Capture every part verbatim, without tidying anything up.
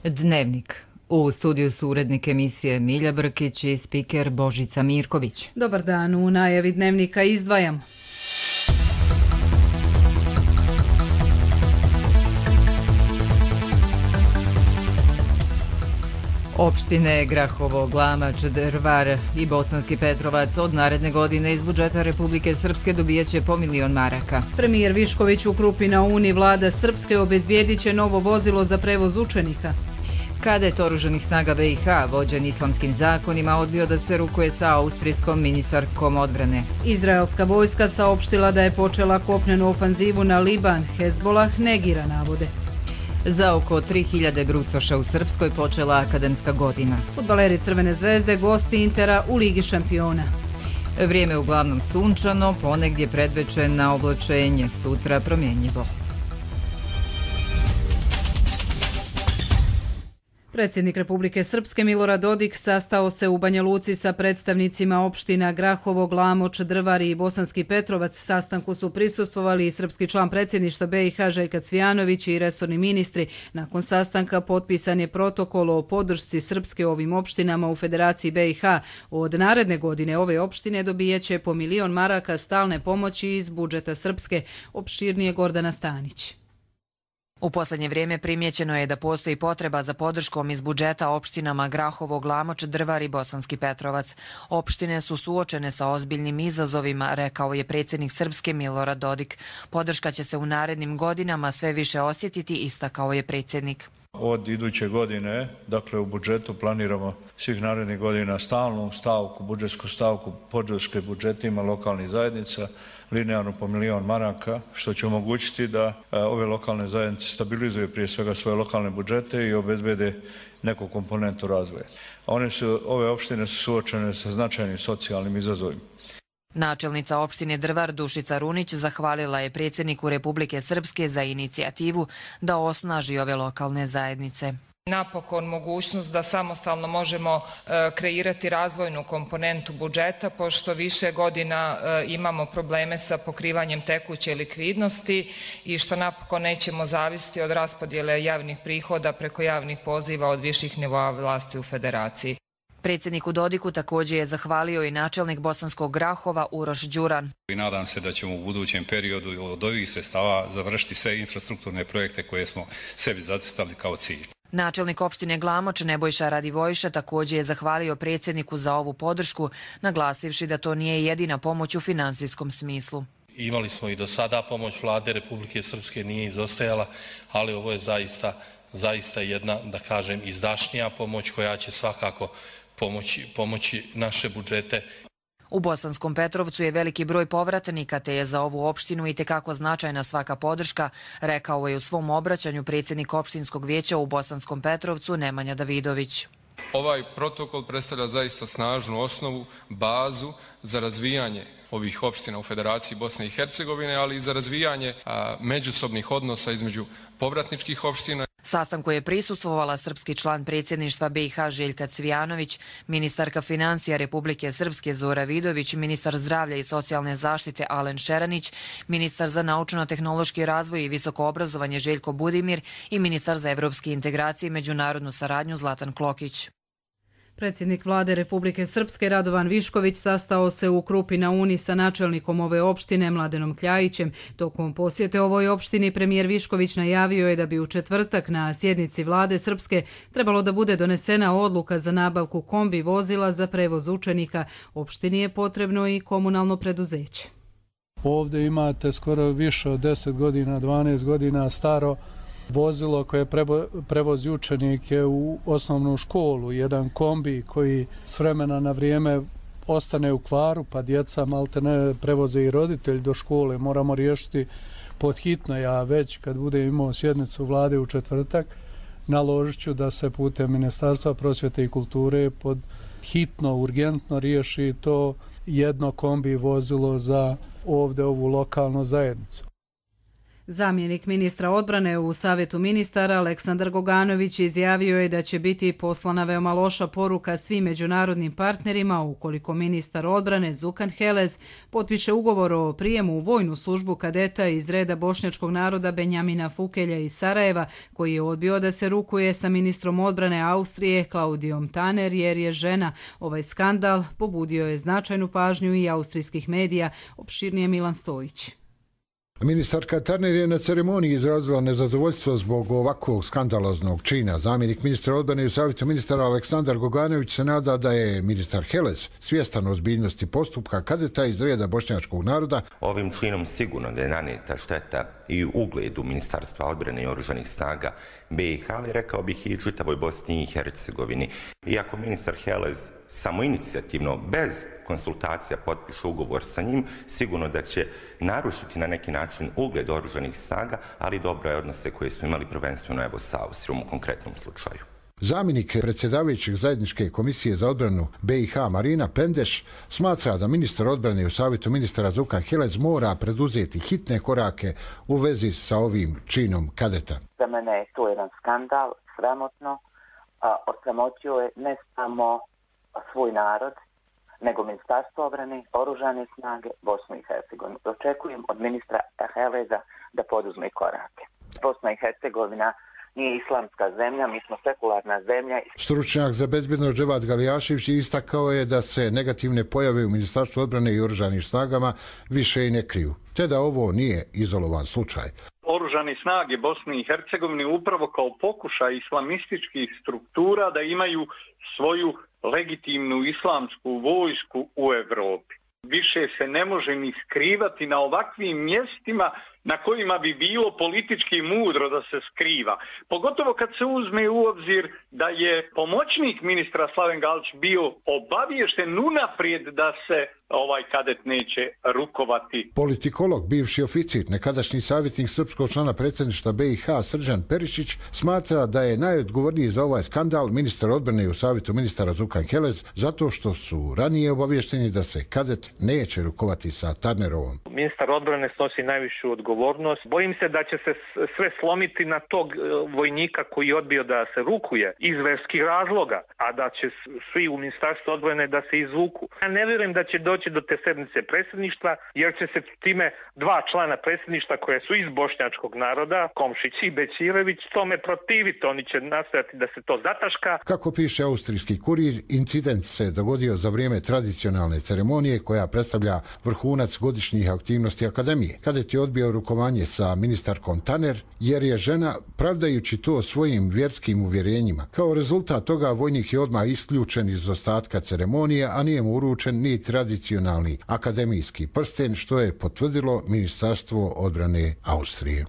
Dnevnik. U studiju su urednik emisije Milja Brkić i spiker Božica Mirković. Dobar dan, u najavi Dnevnika izdvajamo. Opštine Grahovo, Glamač, Drvar i Bosanski Petrovac od naredne godine iz budžeta Republike Srpske dobijaće po milion maraka. Premijer Višković u Krupi na Uni, vlada Srpske obezbijedit će novo vozilo za prevoz učenika. Kadet oružanih snaga B i H, vođen islamskim zakonima, odbio da se rukuje sa austrijskom ministarkom odbrane. Izraelska vojska saopštila da je počela kopnenu ofanzivu na Liban, Hezbolah negira navode. Za oko tri hiljade brucoša u Srpskoj počela akademska godina. Fudbaleri Crvene zvezde, gosti Intera u Ligi šampiona. Vrijeme uglavnom sunčano, ponegdje predveče na oblačenje, sutra promjenjivo. Predsjednik Republike Srpske Milorad Dodik sastao se u Banja Luci sa predstavnicima opština Grahovo, Glamoč, Drvar i Bosanski Petrovac. Sastanku su prisustvovali i srpski član predsjedništva B i H Željko Cvijanović i resorni ministri. Nakon sastanka potpisan je protokol o podršci Srpske ovim opštinama u Federaciji B i H. Od naredne godine ove opštine dobijaće po milion maraka stalne pomoći iz budžeta Srpske. Opširnije Gordana Stanić. U posljednje vrijeme primjećeno je da postoji potreba za podrškom iz budžeta opštinama Grahovo, Glamoč, Drvar i Bosanski Petrovac. Opštine su suočene sa ozbiljnim izazovima, rekao je predsjednik Srpske Milorad Dodik. Podrška će se u narednim godinama sve više osjetiti, istakao je predsjednik. Od iduće godine, dakle u budžetu planiramo svih narednih godina stalnu stavku, budžetsku stavku podrške budžetima lokalnih zajednica, linearno po milion maraka, što će omogućiti da ove lokalne zajednice stabilizuju prije svega svoje lokalne budžete i obezbede neku komponentu razvoja. One su, ove opštine su suočene sa značajnim socijalnim izazovima. Načelnica opštine Drvar Dušica Runić zahvalila je predsjedniku Republike Srpske za inicijativu da osnaži ove lokalne zajednice. Napokon mogućnost da samostalno možemo kreirati razvojnu komponentu budžeta, pošto više godina imamo probleme sa pokrivanjem tekuće likvidnosti i što napokon nećemo zavisiti od raspodjele javnih prihoda preko javnih poziva od viših nivoa vlasti u Federaciji. Predsjedniku Dodiku također je zahvalio i načelnik Bosanskog Grahova Uroš Đuran. I nadam se da ćemo u budućem periodu od ovih sredstava završiti sve infrastrukturne projekte koje smo sebi zacrtali kao cilj. Načelnik opštine Glamoč Nebojša Radivojša također je zahvalio predsjedniku za ovu podršku, naglasivši da to nije jedina pomoć u finansijskom smislu. Imali smo i do sada pomoć vlade Republike Srpske, nije izostajala, ali ovo je zaista, zaista jedna, da kažem, izdašnija pomoć koja će svakako pomoći, pomoći naše budžete. U Bosanskom Petrovcu je veliki broj povratnika, te je za ovu opštinu itekako značajna svaka podrška, rekao je u svom obraćanju predsjednik opštinskog vijeća u Bosanskom Petrovcu Nemanja Davidović. Ovaj protokol predstavlja zaista snažnu osnovu, bazu za razvijanje ovih opština u Federaciji Bosne i Hercegovine, ali i za razvijanje a, međusobnih odnosa između povratničkih opština. Sastanku je prisustvovala srpski član predsjedništva B i H Željka Cvijanović, ministarka financija Republike Srpske Zora Vidović, ministar zdravlja i socijalne zaštite Alen Šeranić, ministar za naučno-tehnološki razvoj i visoko obrazovanje Željko Budimir i ministar za evropske integracije i međunarodnu saradnju Zlatan Klokić. Predsjednik vlade Republike Srpske Radovan Višković sastao se u Krupi na Uni sa načelnikom ove opštine Mladenom Kljajićem. Tokom posjete ovoj opštini premijer Višković najavio je da bi u četvrtak na sjednici vlade Srpske trebalo da bude donesena odluka za nabavku kombi vozila za prevoz učenika. Opštini je potrebno i komunalno preduzeće. Ovdje imate skoro više od deset godina, dvanaest godina staro vozilo koje prevozi učenike u osnovnu školu, jedan kombi koji s vremena na vrijeme ostane u kvaru, pa djeca malte ne prevoze i roditelj do škole. Moramo riješiti pod hitno. Ja već kad budem imao sjednicu vlade u četvrtak, naložit ću da se putem Ministarstva prosvjete i kulture pod hitno, urgentno riješi to jedno kombi vozilo za ovdje ovu lokalnu zajednicu. Zamjenik ministra odbrane u Savjetu ministara Aleksandar Goganović izjavio je da će biti poslana veoma loša poruka svim međunarodnim partnerima ukoliko ministar odbrane Zukan Helez potpiše ugovor o prijemu u vojnu službu kadeta iz reda bošnjačkog naroda Benjamina Fukelja iz Sarajeva, koji je odbio da se rukuje sa ministrom odbrane Austrije Klaudijom Taner jer je žena. Ovaj skandal pobudio je značajnu pažnju i austrijskih medija, opširnije Milan Stojić. Ministarka Taner je na ceremoniji izrazila nezadovoljstvo zbog ovakvog skandaloznog čina. Zamjenik ministra odbrane u Savjetu ministara Aleksandar Goganović se nada da je ministar Helez svjestan ozbiljnosti postupka kadeta iz reda bošnjačkog naroda. Ovim činom sigurno da je nanijeta šteta i ugledu Ministarstva odbrane i oružanih snaga B i H, ali rekao bih i čitavoj Bosni i Hercegovini. Iako ministar Helez samoinicijativno, bez konsultacija potpiše ugovor sa njim, sigurno da će narušiti na neki način ugled oružanih snaga, ali dobro je odnose koje smo imali prvenstveno evo sa Austrijom u konkretnom slučaju. Zamjenik predsjedavajućeg zajedničke komisije za odbranu B i H Marina Pendeš smatra da ministar odbrane u Savjetu ministara Zukan Helez mora preduzeti hitne korake u vezi sa ovim činom kadeta. Za mene je to jedan skandal, sramotno, a osramotio je ne samo svoj narod, nego Ministarstvo obrane, oružane snage, Bosnu i Hercegovinu. Očekujem od ministra Heleza da poduzme korake. Bosna i Hercegovina nije islamska zemlja, mi smo sekularna zemlja. Stručnjak za bezbjednost Dževad Galijašević istakao je da se negativne pojave u Ministarstvu odbrane i oružanim snagama više i ne kriju, te da ovo nije izolovan slučaj. Oružane snage Bosne i Hercegovine upravo kao pokušaj islamističkih struktura da imaju svoju legitimnu islamsku vojsku u Evropi. Više se ne može ni skrivati na ovakvim mjestima na kojima bi bilo politički mudro da se skriva. Pogotovo kad se uzme u obzir da je pomoćnik ministra Slaven Galić bio obaviješten unaprijed da se ovaj kadet neće rukovati. Politikolog, bivši oficir, nekadašnji savjetnik srpskog člana predsjedništva B i H Srđan Perišić smatra da je najodgovorniji za ovaj skandal ministar odbrane u Savjetu ministara Zukan Helez zato što su ranije obavješteni da se kadet neće rukovati sa Tarnerovom. Ministar odbrane snosi najvišu odgovornost. Bojim se da će se sve slomiti na tog vojnika koji je odbio da se rukuje iz verskih razloga, a da će svi u Ministarstvu odbrane da se izvuku. Ja ne vjerujem da će doći do te sednice predsjedništva, jer će se time dva člana predsjedništva koje su iz bošnjačkog naroda, Komšić i Bećirević, tome protiviti. Oni će nastojati da se to zataška. Kako piše austrijski kurir, incident se dogodio za vrijeme tradicionalne ceremonije koja predstavlja vrhunac godišnjih aktivnosti akademije. Kadet je odbio rukovanje sa ministarkom Taner jer je žena, pravdajući to svojim vjerskim uvjerenjima. Kao rezultat toga vojnik je odmah isključen iz ostatka ceremonije, a nije mu uručen ni tradicionalni akademijski prsten, što je potvrdilo Ministarstvo odbrane Austrije.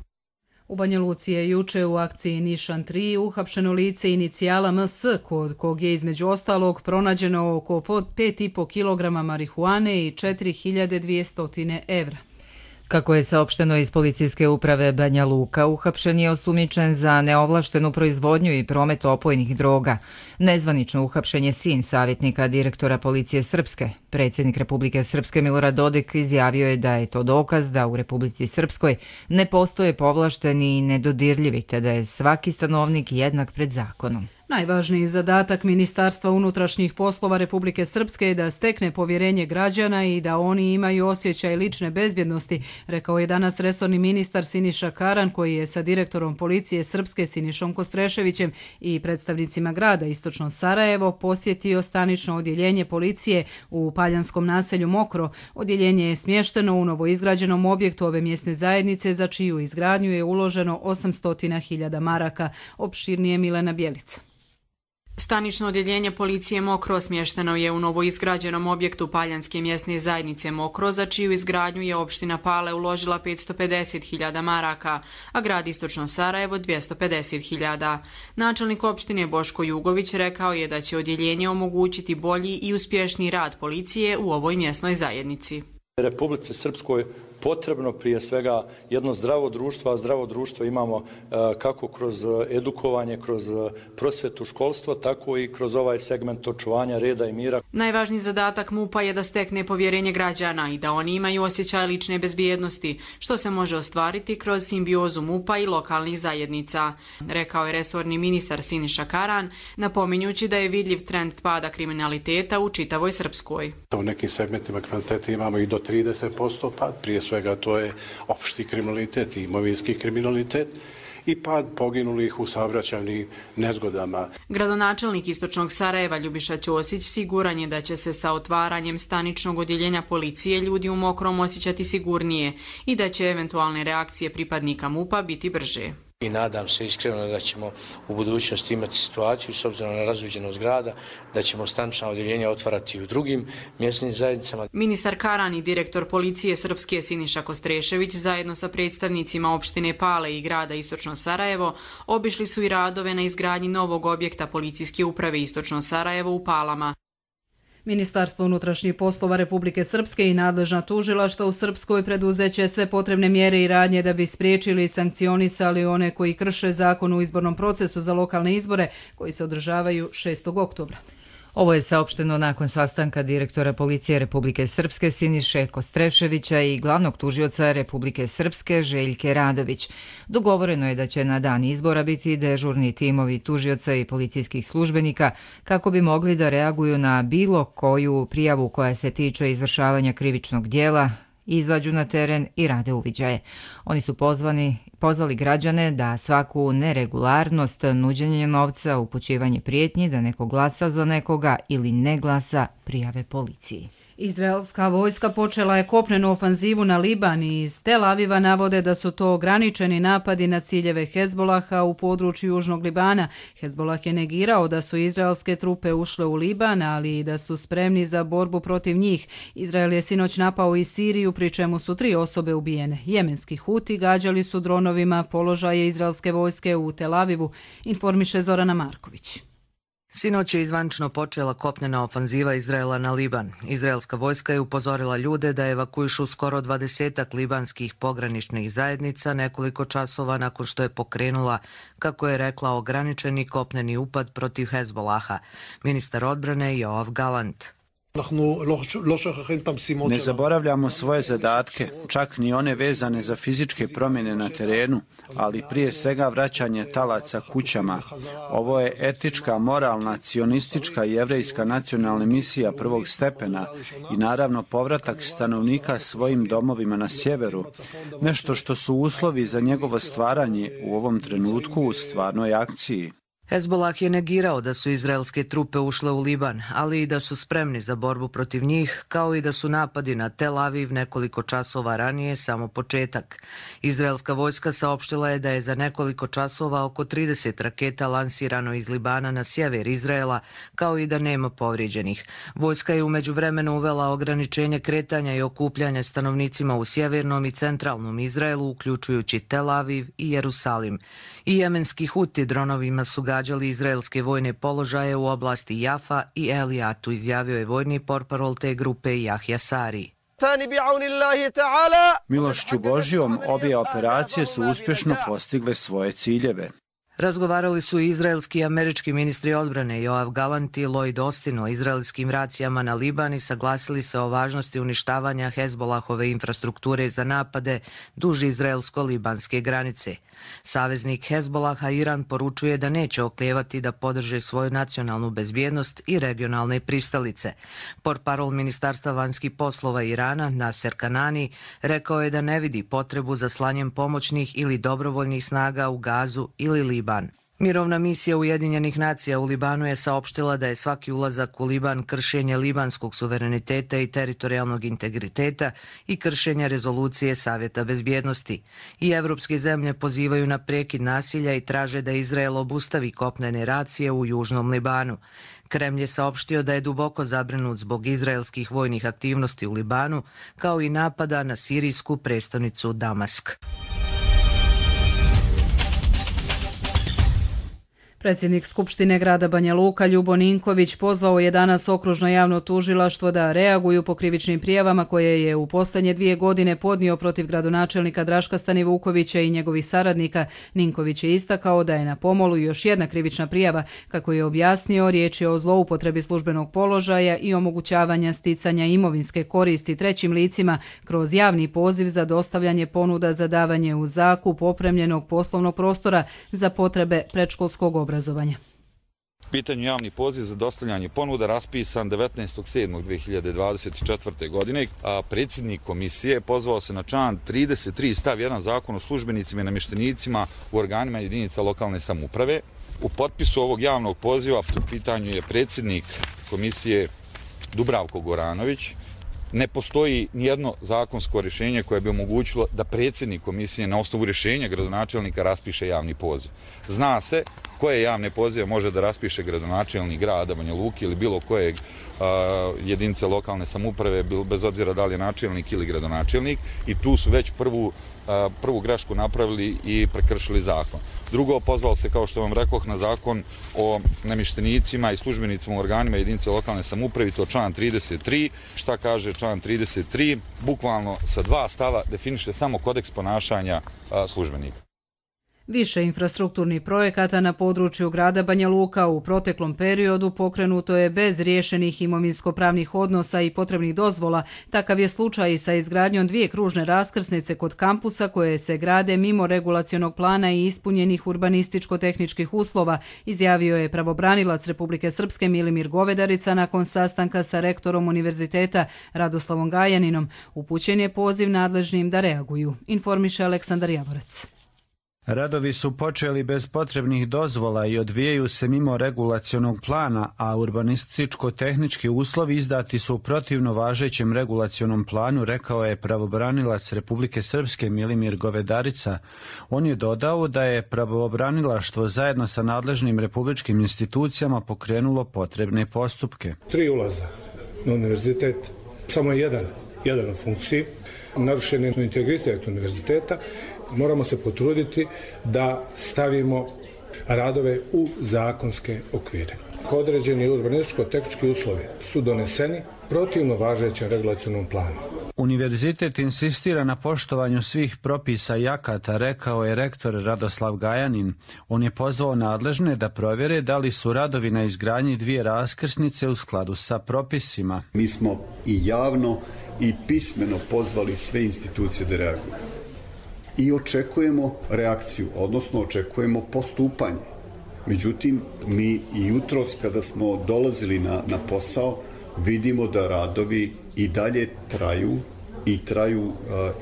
U Banja Luci je juče u akciji Nišan tri uhapšeno lice inicijala M S, kod kog je između ostalog pronađeno oko pet i po kilograma marihuane i četiri hiljade dvjesto evra. Kako je saopšteno iz policijske uprave Banja Luka, uhapšen je osumnjičen za neovlaštenu proizvodnju i promet opojnih droga. Nezvanično uhapšen je sin savjetnika direktora policije Srpske. Predsjednik Republike Srpske Milorad Dodik izjavio je da je to dokaz da u Republici Srpskoj ne postoje povlašteni i nedodirljivi, te da je svaki stanovnik jednak pred zakonom. Najvažniji zadatak Ministarstva unutrašnjih poslova Republike Srpske je da stekne povjerenje građana i da oni imaju osjećaj lične bezbjednosti, rekao je danas resorni ministar Siniša Karan, koji je sa direktorom policije Srpske Sinišom Kostreševićem i predstavnicima grada Istočno Sarajevo posjetio stanično odjeljenje policije u paljanskom naselju Mokro. Odjeljenje je smješteno u novoizgrađenom objektu ove mjesne zajednice, za čiju izgradnju je uloženo osamsto hiljada maraka. Opširnije Milena Bjelica. Stanično odjeljenje policije Mokro smješteno je u novoizgrađenom objektu Paljanske mjesne zajednice Mokro, za čiju izgradnju je opština Pale uložila petsto pedeset hiljada maraka, a grad Istočno Sarajevo dvjesto pedeset hiljada. Načelnik opštine Boško Jugović rekao je da će odjeljenje omogućiti bolji i uspješniji rad policije u ovoj mjesnoj zajednici. Republici Srpskoj potrebno prije svega jedno zdravo društvo, a zdravo društvo imamo kako kroz edukovanje, kroz prosvetu, školstvo, tako i kroz ovaj segment očuvanja reda i mira. Najvažniji zadatak MUP-a je da stekne povjerenje građana i da oni imaju osjećaj lične bezbjednosti, što se može ostvariti kroz simbiozu MUP-a i lokalnih zajednica, rekao je resorni ministar Siniša Karan, napominjući da je vidljiv trend pada kriminaliteta u čitavoj Srpskoj. U nekim segmentima kriminaliteta imamo i do trideset posto pad, prije svega to je opšti kriminalitet i imovinski kriminalitet i pad poginulih u saobraćajnim nezgodama. Gradonačelnik Istočnog Sarajeva Ljubiša Ćosić siguran je da će se sa otvaranjem staničnog odjeljenja policije ljudi u Mokrom osjećati sigurnije i da će eventualne reakcije pripadnika MUP-a biti brže. I nadam se iskreno da ćemo u budućnosti imati situaciju, s obzirom na razuđenost grada, da ćemo stanična odjeljenja otvarati i u drugim mjesnim zajednicama. Ministar Karan i direktor policije Srpske Siniša Kostrešević zajedno sa predstavnicima opštine Pale i grada Istočno Sarajevo obišli su i radove na izgradnji novog objekta policijske uprave Istočno Sarajevo u Palama. Ministarstvo unutrašnjih poslova Republike Srpske i nadležna tužilaštva u Srpskoj preduzeće sve potrebne mjere i radnje da bi spriječili i sankcionisali one koji krše zakon u izbornom procesu za lokalne izbore koji se održavaju šestog oktobra. Ovo je saopšteno nakon sastanka direktora policije Republike Srpske Siniše Kostreševića i glavnog tužioca Republike Srpske Željke Radović. Dogovoreno je da će na dan izbora biti dežurni timovi tužioca i policijskih službenika kako bi mogli da reaguju na bilo koju prijavu koja se tiče izvršavanja krivičnog dijela, izađu na teren i rade uviđaje. Oni su pozvani, pozvali građane da svaku neregularnost, nuđenje novca, upućivanje prijetnji da neko glasa za nekoga ili ne glasa prijave policiji. Izraelska vojska počela je kopnenu ofanzivu na Liban i iz Tel Aviva navode da su to ograničeni napadi na ciljeve Hezbolaha u području Južnog Libana. Hezbolah je negirao da su izraelske trupe ušle u Liban, ali i da su spremni za borbu protiv njih. Izrael je sinoć napao i Siriju, pri čemu su tri osobe ubijene. Jemenski Huti gađali su dronovima položaje izraelske vojske u Tel Avivu, informiše Zorana Marković. Sinoć je izvančno počela kopnena ofanziva Izraela na Liban. Izraelska vojska je upozorila ljude da evakuišu skoro dvadesetak libanskih pograničnih zajednica nekoliko časova nakon što je pokrenula, kako je rekla, ograničeni kopneni upad protiv Hezbolaha. Ministar odbrane Joav Galant. Ne zaboravljamo svoje zadatke, čak ni one vezane za fizičke promjene na terenu, ali prije svega vraćanje talaca kućama. Ovo je etička, moralna, cionistička i jevrejska nacionalna misija prvog stepena i naravno povratak stanovnika svojim domovima na sjeveru, nešto što su uslovi za njegovo stvaranje u ovom trenutku u stvarnoj akciji. Hezbolah je negirao da su izraelske trupe ušle u Liban, ali i da su spremni za borbu protiv njih, kao i da su napadi na Tel Aviv nekoliko časova ranije samo početak. Izraelska vojska saopštila je da je za nekoliko časova oko trideset raketa lansirano iz Libana na sjever Izraela, kao i da nema povrijeđenih. Vojska je u međuvremenu uvela ograničenje kretanja i okupljanja stanovnicima u sjevernom i centralnom Izraelu, uključujući Tel Aviv i Jerusalim. I jemenski Huti dronovima su gađali izraelske vojne položaje u oblasti Jafa i Elijatu, izjavio je vojni portparol te grupe Jahja Sari. Milošću Božjom, obje operacije su uspješno postigle svoje ciljeve. Razgovarali su i izraelski i američki ministri odbrane Joav Galant i Lloyd Austin o izraelskim racijama na Liban i saglasili se o važnosti uništavanja Hezbolahove infrastrukture za napade duž izraelsko-libanske granice. Saveznik Hezbolaha Iran poručuje da neće oklijevati da podrže svoju nacionalnu bezbjednost i regionalne pristalice. Portparol Ministarstva vanjskih poslova Irana, Naser Kanani, rekao je da ne vidi potrebu za slanjem pomoćnih ili dobrovoljnih snaga u Gazu ili Liban. Mirovna misija Ujedinjenih nacija u Libanu je saopštila da je svaki ulazak u Liban kršenje libanskog suvereniteta i teritorijalnog integriteta i kršenje rezolucije Savjeta bezbjednosti. I evropske zemlje pozivaju na prekid nasilja i traže da Izrael obustavi kopnene racije u Južnom Libanu. Kremlj je saopštio da je duboko zabrinut zbog izraelskih vojnih aktivnosti u Libanu, kao i napada na sirijsku prestonicu Damask. Predsjednik Skupštine grada Banja Luka Ljubo Ninković pozvao je danas okružno javno tužilaštvo da reaguju po krivičnim prijavama koje je u posljednje dvije godine podnio protiv gradonačelnika Draška Stanivukovića i njegovih saradnika. Ninković je istakao da je na pomolu još jedna krivična prijava. Kako je objasnio, riječ je o zloupotrebi službenog položaja i omogućavanja sticanja imovinske koristi trećim licima kroz javni poziv za dostavljanje ponuda za davanje u zakup opremljenog poslovnog prostora za potrebe predškolskog obrazovanja. U pitanju javni poziv za dostavljanje ponuda raspisan devetnaestog sedmog dve hiljade dvadeset četvrte. godine, a predsjednik komisije pozvao se na član trideset tri stav jedan Zakona o službenicima i namještenicima u organima jedinica lokalne samouprave. U potpisu ovog javnog poziva u pitanju je predsjednik komisije Dubravko Goranović. Ne postoji nijedno zakonsko rješenje koje bi omogućilo da predsjednik komisije na osnovu rješenja gradonačelnika raspiše javni poziv. Zna se koje javne pozive može da raspiše gradonačelnik grada Banja Luke ili bilo kojeg a, jedinice lokalne samouprave, bez obzira da li je načelnik ili gradonačelnik, i tu su već prvu, a, prvu grešku napravili i prekršili zakon. Drugo, pozvao se, kao što vam rekoh, na zakon o namještenicima i službenicima u organima jedinice lokalne samouprave, to član trideset tri. Šta kaže član trideset tri? Bukvalno sa dva stava definiše samo kodeks ponašanja a, službenika. Više infrastrukturnih projekata na području grada Banja Luka u proteklom periodu pokrenuto je bez riješenih imovinsko-pravnih odnosa i potrebnih dozvola. Takav je slučaj i sa izgradnjom dvije kružne raskrsnice kod kampusa koje se grade mimo regulacionog plana i ispunjenih urbanističko-tehničkih uslova, izjavio je pravobranilac Republike Srpske Milimir Govedarica nakon sastanka sa rektorom univerziteta Radoslavom Gajaninom. Upućen je poziv nadležnim da reaguju, informiše Aleksandar Javorac. Radovi su počeli bez potrebnih dozvola i odvijaju se mimo regulacionog plana, a urbanističko-tehnički uslovi izdati su protivno važećem regulacionom planu, rekao je pravobranilac Republike Srpske Milimir Govedarica. On je dodao da je pravobranilaštvo zajedno sa nadležnim republičkim institucijama pokrenulo potrebne postupke. Tri ulaza na univerzitet, samo jedan, jedan u funkciji, narušen je integritet univerziteta. Moramo se potruditi da stavimo radove u zakonske okvire. Određeni urbanističko-tehnički uslovi su doneseni protivno važećem regulacionom planu. Univerzitet insistira na poštovanju svih propisa i akata, rekao je rektor Radoslav Gajanin. On je pozvao nadležne da provjere da li su radovi na izgradnji dvije raskrsnice u skladu sa propisima. Mi smo i javno i pismeno pozvali sve institucije da reaguju. I očekujemo reakciju, odnosno očekujemo postupanje. Međutim, mi i jutros kada smo dolazili na, na posao, vidimo da radovi i dalje traju i traju uh,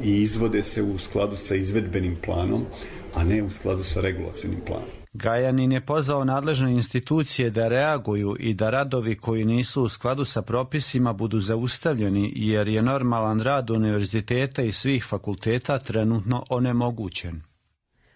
i izvode se u skladu sa izvedbenim planom, a ne u skladu sa regulacionim planom. Gajanin je pozvao nadležne institucije da reaguju i da radovi koji nisu u skladu sa propisima budu zaustavljeni, jer je normalan rad univerziteta i svih fakulteta trenutno onemogućen.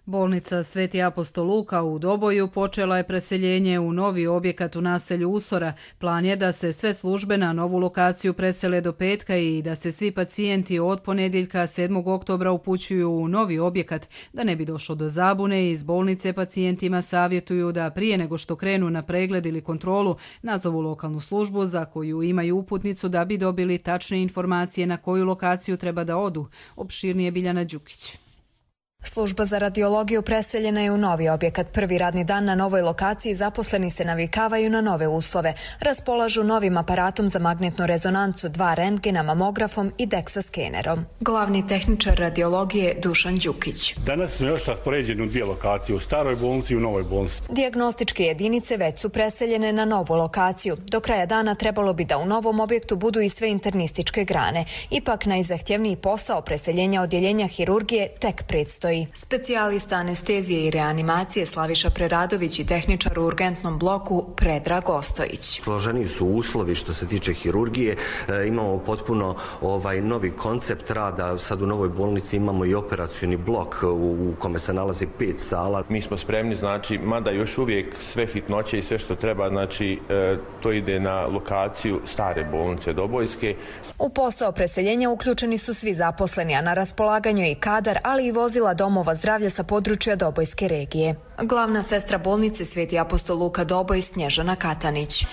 Bolnica Sveti apostol Luka u Doboju počela je preseljenje u novi objekat u naselju Usora. Plan je da se sve službe na novu lokaciju presele do petka i da se svi pacijenti od ponedjeljka sedmog oktobra upućuju u novi objekat. Da ne bi došlo do zabune, iz bolnice pacijentima savjetuju da prije nego što krenu na pregled ili kontrolu nazovu lokalnu službu za koju imaju uputnicu da bi dobili tačne informacije na koju lokaciju treba da odu. Opširnije Biljana Đukić. Služba za radiologiju preseljena je u novi objekat. Prvi radni dan na novoj lokaciji zaposleni se navikavaju na nove uslove. Raspolažu novim aparatom za magnetnu rezonancu, dva rentgena, mamografom i deksa skenerom. Glavni tehničar radiologije Dušan Đukić. Danas smo još raspoređeni u dvije lokacije, u staroj bolnici i u novoj bolnici. Dijagnostičke jedinice već su preseljene na novu lokaciju. Do kraja dana trebalo bi da u novom objektu budu i sve internističke grane. Ipak najzahtjevniji posao preseljenja odjeljenja hirurgije tek predstoji. Specijalista anestezije i reanimacije Slaviša Preradović i tehničar u urgentnom bloku Predrag Ostojić. Složeni su uslovi što se tiče hirurgije. E, imamo potpuno ovaj novi koncept rada. Sad u novoj bolnici imamo i operacioni blok u, u kome se nalazi pet sala. Mi smo spremni, znači, mada još uvijek sve hitnoće i sve što treba, znači, e, to ide na lokaciju stare bolnice Dobojske. U posao preseljenja uključeni su svi zaposleni, a na raspolaganju je i kadar, ali i vozila domova zdravlja sa područja Dobojske regije. Glavna sestra bolnice Sveti apostol Luka Doboj Snježana Katanić.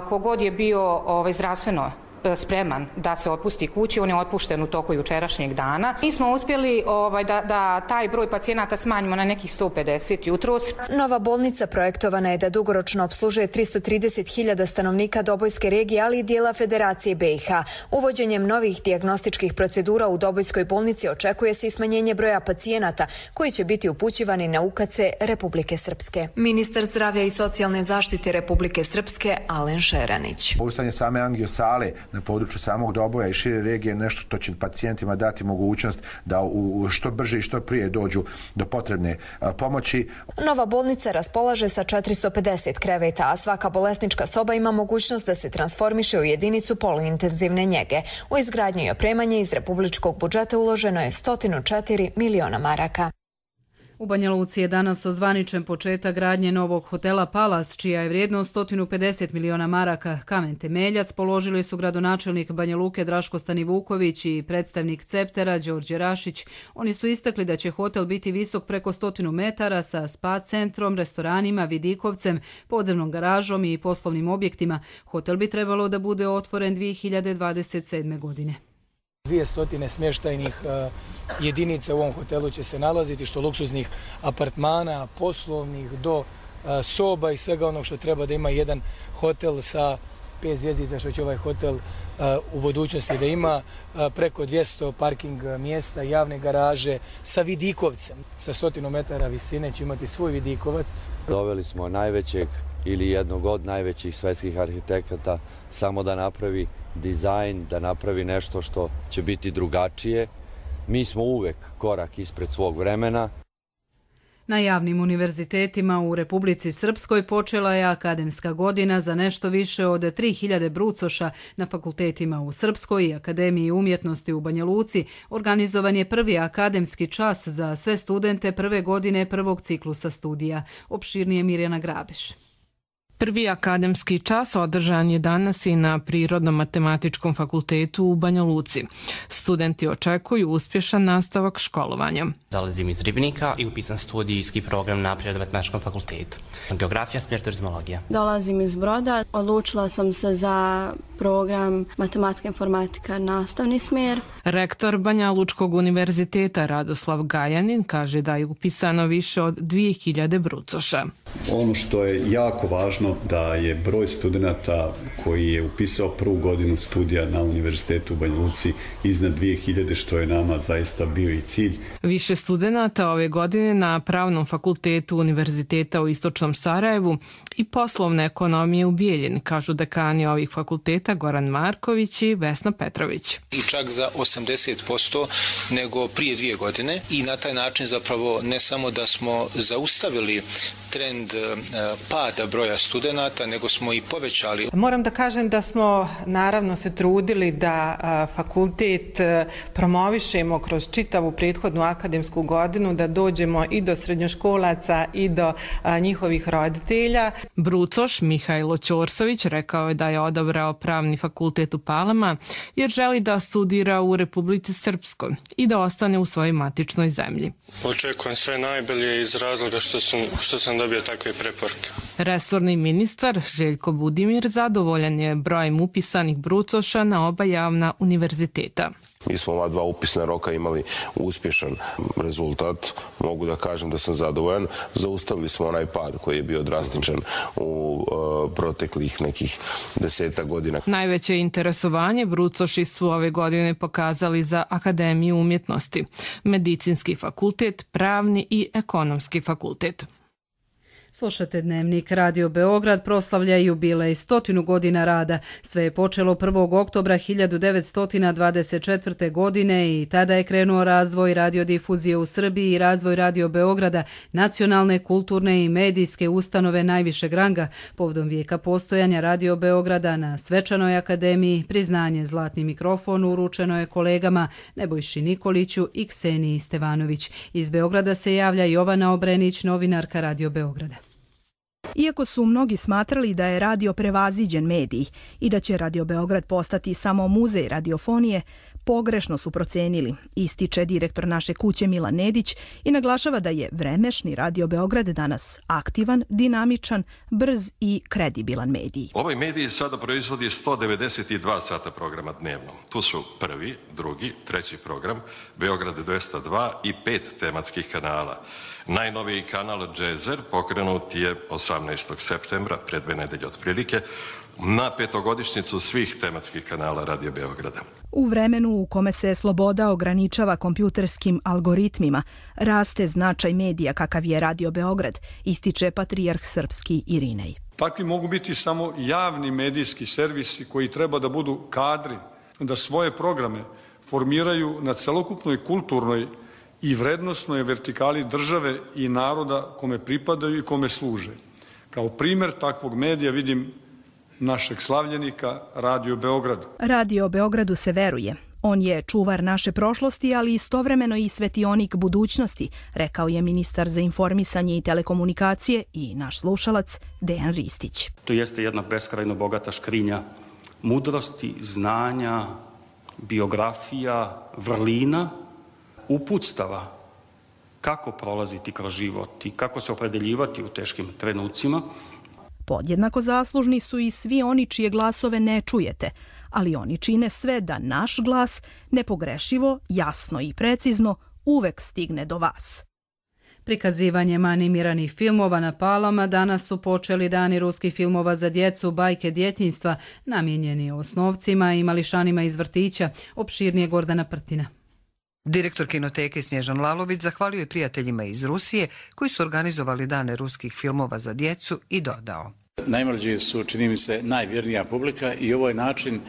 Kogod je bio ovaj, zdravstveno spreman da se otpusti kući, on je otpušten u toku jučerašnjeg dana. Mi smo uspjeli ovaj, da, da taj broj pacijenata smanjimo na nekih sto pedeset jutros. Nova bolnica projektovana je da dugoročno opslužuje tristo trideset hiljada stanovnika Dobojske regije, ali i dijela Federacije B i H. Uvođenjem novih dijagnostičkih procedura u Dobojskoj bolnici očekuje se i smanjenje broja pacijenata koji će biti upućivani na U K C Republike Srpske. Ministar zdravlja i socijalne zaštite Republike Srpske Alen Šeranić. Poustavljanje same angiosale na području samog Doboja i šire regije je nešto što će pacijentima dati mogućnost da u što brže i što prije dođu do potrebne pomoći. Nova bolnica raspolaže sa četiristo pedeset kreveta, a svaka bolesnička soba ima mogućnost da se transformiše u jedinicu poluintenzivne njege. U izgradnju i opremanje iz republičkog budžeta uloženo je sto četiri miliona maraka. U Banja Luci je danas ozvaničen početak gradnje novog hotela Palas, čija je vrijednost sto pedeset miliona maraka. Kamen temeljac položili su gradonačelnik Banja Luke Draško Stanivuković i predstavnik Ceptera Đorđe Rašić. Oni su istakli da će hotel biti visok preko stotinu metara sa spa centrom, restoranima, vidikovcem, podzemnom garažom i poslovnim objektima. Hotel bi trebalo da bude otvoren dvije hiljade dvadeset sedme. godine. Dvije stotine smještajnih jedinica u ovom hotelu će se nalaziti, što luksuznih apartmana, poslovnih, do soba i svega onog što treba da ima jedan hotel sa pet zvjezdica, što će ovaj hotel u budućnosti da ima, preko dvjesto parking mjesta, javne garaže, sa vidikovcem. Sa stotinu metara visine će imati svoj vidikovac. Doveli smo najvećeg ili jednog od najvećih svetskih arhitekata samo da napravi dizajn, da napravi nešto što će biti drugačije. Mi smo uvek korak ispred svog vremena. Na javnim univerzitetima u Republici Srpskoj počela je akademska godina za nešto više od tri hiljade brucoša. Na fakultetima u Srpskoj i Akademiji umjetnosti u Banja Luci organizovan je prvi akademski čas za sve studente prve godine prvog ciklusa studija. Opširnije Mirjana Grabeš. Prvi akademski čas održan je danas i na Prirodno-matematičkom fakultetu u Banja Luci. Studenti očekuju uspješan nastavak školovanja. Dolazim iz Ribnika i upisan studijski program na Prirodno-matematičkom fakultetu. Geografija, smjer turizmologija. Dolazim iz Broda. Odlučila sam se za program matematika, informatika, nastavni smjer. Rektor Banja Lučkog univerziteta Radoslav Gajanin kaže da je upisano više od dvije hiljade brucoša. Ono što je jako važno da je broj studenta koji je upisao prvu godinu studija na univerzitetu u Banja Luci iznad dvije hiljade, što je nama zaista bio i cilj. Više studenta ove godine na Pravnom fakultetu Univerziteta u Istočnom Sarajevu i poslovne ekonomije u Bijeljini, kažu dekani ovih fakulteta Goran Marković i Vesna Petrović. I čak za osamdeset posto nego prije dvije godine i na taj način zapravo ne samo da smo zaustavili trend pada broja studenata, nego smo i povećali. Moram da kažem da smo naravno se trudili da fakultet promovišemo kroz čitavu prethodnu akademsku godinu, da dođemo i do srednjoškolaca i do njihovih roditelja. Brucoš Mihajlo Ćorsović rekao je da je odabrao Pravni fakultet u Palama jer želi da studira u Republici Srpskoj i da ostane u svojoj matičnoj zemlji. Očekujem sve najbolje iz razloga što sam, što sam dobio takve preporuke. Resorni ministar Željko Budimir zadovoljan je brojem upisanih brucoša na oba javna univerziteta. Mi smo ova dva upisna roka imali uspješan rezultat. Mogu da kažem da sam zadovoljan. Zaustavili smo onaj pad koji je bio drastičan u uh, proteklih nekih deseta godina. Najveće interesovanje brucoši su ove godine pokazali za Akademiju umjetnosti, Medicinski fakultet, Pravni i Ekonomski fakultet. Slušate Dnevnik. Radio Beograd proslavlja jubilej stotinu godina rada. Sve je počelo prvog oktobra hiljadu devetsto dvadeset četvrte. godine i tada je krenuo razvoj radiodifuzije u Srbiji i razvoj Radio Beograda, nacionalne, kulturne i medijske ustanove najvišeg ranga. Povodom vijeka postojanja Radio Beograda na Svečanoj akademiji priznanje Zlatni mikrofon uručeno je kolegama Nebojši Nikoliću i Kseniji Stevanović. Iz Beograda se javlja Jovana Obrenić, novinarka Radio Beograda. Iako su mnogi smatrali da je radio prevaziđen medij i da će Radio Beograd postati samo muzej radiofonije, pogrešno su procenili, ističe direktor naše kuće Milan Nedić i naglašava da je vremešni Radio Beograd danas aktivan, dinamičan, brz i kredibilan medij. Ovaj medij sada proizvodi sto devedeset dva sata programa dnevno. Tu su prvi, drugi, treći program, Beograd dvesta dva i pet tematskih kanala. Najnoviji kanal Džezer pokrenut je osamnaestog septembra, pre dve nedelje otprilike, na petogodišnjicu svih tematskih kanala Radio Beograda. U vremenu u kome se sloboda ograničava kompjuterskim algoritmima, raste značaj medija kakav je Radio Beograd, ističe patrijarh srpski Irinej. Takvi mogu biti samo javni medijski servisi koji treba da budu kadri, da svoje programe formiraju na celokupnoj kulturnoj i vrednostnoj vertikali države i naroda kome pripadaju i kome služe. Kao primer takvog medija vidim našeg slavljenika Radio Beograd. Radio Beogradu se veruje. On je čuvar naše prošlosti, ali istovremeno i svetionik budućnosti, rekao je ministar za informisanje i telekomunikacije i naš slušalac Dejan Ristić. To jeste jedna beskrajno bogata škrinja mudrosti, znanja, biografija, vrlina, uputstava kako prolaziti kroz život i kako se opredeljivati u teškim trenucima. Podjednako zaslužni su i svi oni čije glasove ne čujete, ali oni čine sve da naš glas nepogrešivo, jasno i precizno uvek stigne do vas. Prikazivanjem animiranih filmova na Palama danas su počeli dani ruskih filmova za djecu Bajke djetinjstva, namijenjeni osnovcima i mališanima iz vrtića. Opširnije Gordana Prtina. Direktor kinoteke Snježan Lalović zahvalio je prijateljima iz Rusije koji su organizovali dane ruskih filmova za djecu i dodao. Najmlađi su, čini mi se, najvjernija publika i ovo je način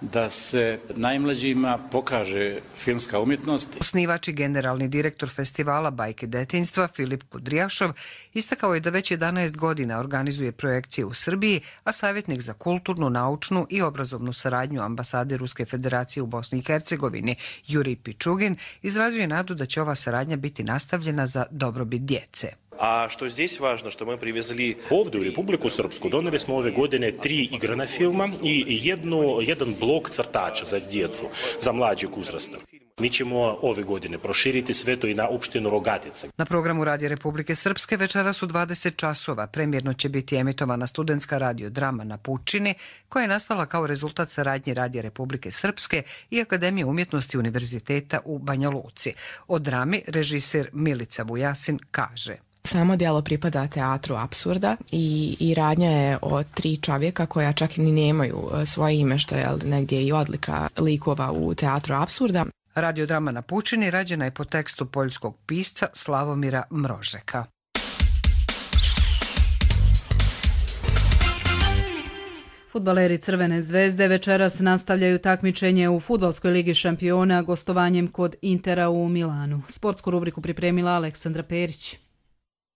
da se najmlađima pokaže filmska umjetnost. Osnivač i generalni direktor festivala Bajke detinjstva Filip Kudrijašov istakao je da već jedanaest godina organizuje projekcije u Srbiji, a savjetnik za kulturnu, naučnu i obrazovnu saradnju ambasade Ruske federacije u Bosni i Hercegovini Jurij Pičugin izrazio je nadu da će ova saradnja biti nastavljena za dobrobit djece. A što здесь важно, što мы привезли ovdje u Republiku Srpsku, doneli smo ove godine tri igrana filma i jednu, jedan blok crtača za djecu, za mlađeg uzrasta. Mi ćemo ove godine proširiti sve to i na opštinu Rogatica. Na programu Radija Republike Srpske večeras u dvadeset časova premjerno će biti emitovana studentska radiodrama Na Pučini, koja je nastala kao rezultat saradnje Radija Republike Srpske i Akademije umjetnosti Univerziteta u Banja Luci. O drami režiser Milica Vujasin kaže: Samo djelo pripada teatru apsurda i, i radnja je o tri čovjeka koja čak ni nemaju svoje ime, što je negdje i odlika likova u teatru apsurda. Radiodrama Na Pučini rađena je po tekstu poljskog pisca Slavomira Mrožeka. Fudbaleri Crvene zvezde večeras nastavljaju takmičenje u Fudbalskoj ligi šampiona gostovanjem kod Intera u Milanu. Sportsku rubriku pripremila Aleksandra Perić.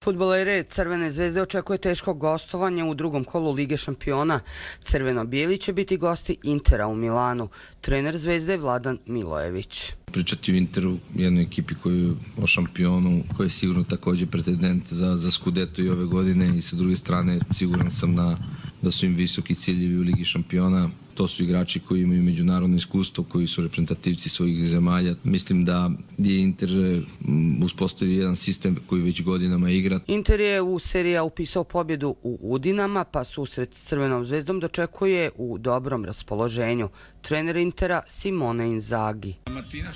Fudbalere Crvene zvezde očekuje teško gostovanje u drugom kolu Lige šampiona. Crveno-bijeli će biti gosti Intera u Milanu. Trener zvezde Vladan Milojević. Pričati o Interu, jednoj ekipi koju, o šampionu, koji je sigurno također pretendent za, za Scudetto i ove godine, i sa druge strane siguran sam na, da su im visoki ciljevi u Ligi šampiona. To su igrači koji imaju međunarodno iskustvo, koji su reprezentativci svojih zemalja. Mislim da je Inter uspostavio jedan sistem koji već godinama igra. Inter je u seriji upisao pobjedu u Udinama, pa susret s Crvenom zvezdom dočekuje u dobrom raspoloženju. Trener Intera Simone Inzaghi.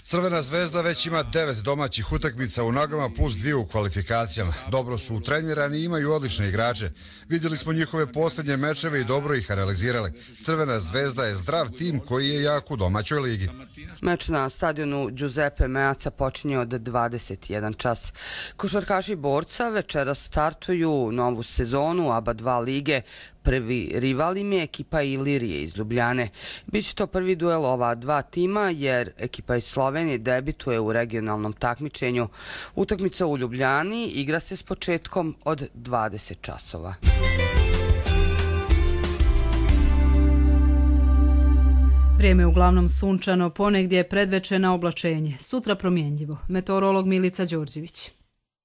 Crvena zvezda već ima devet domaćih utakmica u nogama plus dvije u kvalifikacijama. Dobro su utrenirani i imaju odlične igrače. Vidjeli smo njihove posljednje mečeve i dobro ih analizirali. Crvena zvezda je zdrav tim koji je jak u domaćoj ligi. Meč na stadionu Giuseppe Meazza počinje od dvadeset jedan čas. Košarkaši Borca večeras startuju novu sezonu A B A dva lige. Prvi rival im je ekipa Ilirije iz Ljubljane. Biće to prvi duel ova dva tima jer ekipa iz Slovenije debituje u regionalnom takmičenju. Utakmica u Ljubljani igra se s početkom od dvadeset časova. Vrijeme uglavnom sunčano, ponegdje je predvečer na oblačenje. Sutra promjenjivo. Meteorolog Milica Đorđević.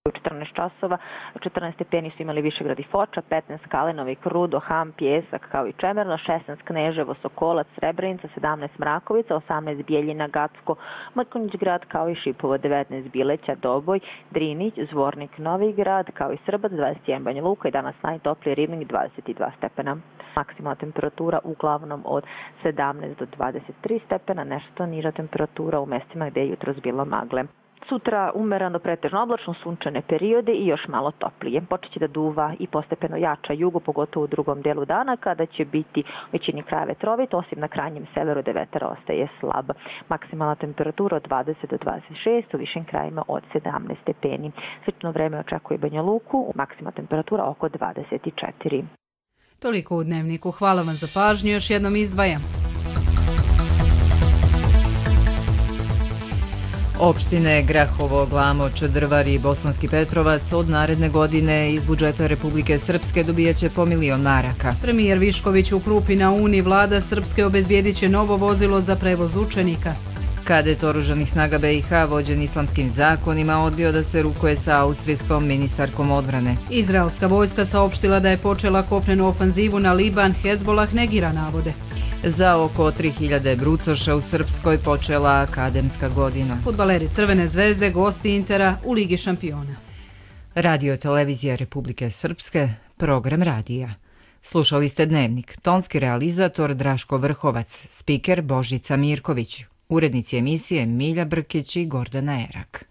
U četrnaest časova, četrnaest stepeni su imali Višegrad i Foča, petnaest Kalenovi, Krudo, Ham, Pjesak kao i Čemerno, šesnaest Kneževo, Sokolac, Srebrenica, sedamnaest Mrakovica, osamnaest Bijeljina, Gacko, Mrkonjić grad kao i Šipovo, devetnaest Bileća, Doboj, Drinić, Zvornik, Novi grad kao i Srbac, dvadeset jedan Banja Luka i danas najtopliji Ribnik, dvadeset dva stepena. Maksimalna temperatura uglavnom od sedamnaest do dvadeset tri stepena, nešto niža temperatura u mestima gde je jutros bilo magle. Sutra umereno pretežno oblačno, sunčane periode i još malo toplije. Počeće da duva i postepeno jača jugo, pogotovo u drugom delu dana, kada će biti u većini kraja vetrovit, osim na krajnjem severu gde vetar ostaje slab. Maksimalna temperatura od dvadeset do dvadeset šest, u višim krajima od sedamnaest stepeni. Slično vreme očekuje Banja Luku, maksimalna temperatura oko dvadeset četiri. Toliko u Dnevniku. Hvala vam za pažnju. Još jednom izdvajam. Opštine Grahovo, Glamoč, Drvar i Bosanski Petrovac od naredne godine iz budžeta Republike Srpske dobijaće po milion maraka. Premijer Višković u Krupi na Uni, vlada Srpske obezbijedit će novo vozilo za prevoz učenika. Kadet oružanih snaga B i H vođen islamskim zakonima odbio da se rukuje sa austrijskom ministarkom odbrane. Izraelska vojska saopštila da je počela kopnenu ofanzivu na Liban, Hezbolah negira navode. Za oko tri hiljade brucoša u Srpskoj počela akademska godina. Fudbaleri Crvene zvezde, gosti Intera u Ligi šampiona. Radio televizija Republike Srpske, program radija. Slušali ste Dnevnik, tonski realizator Draško Vrhovac, spiker Božica Mirković, urednici emisije Milja Brkić i Gordana Erak.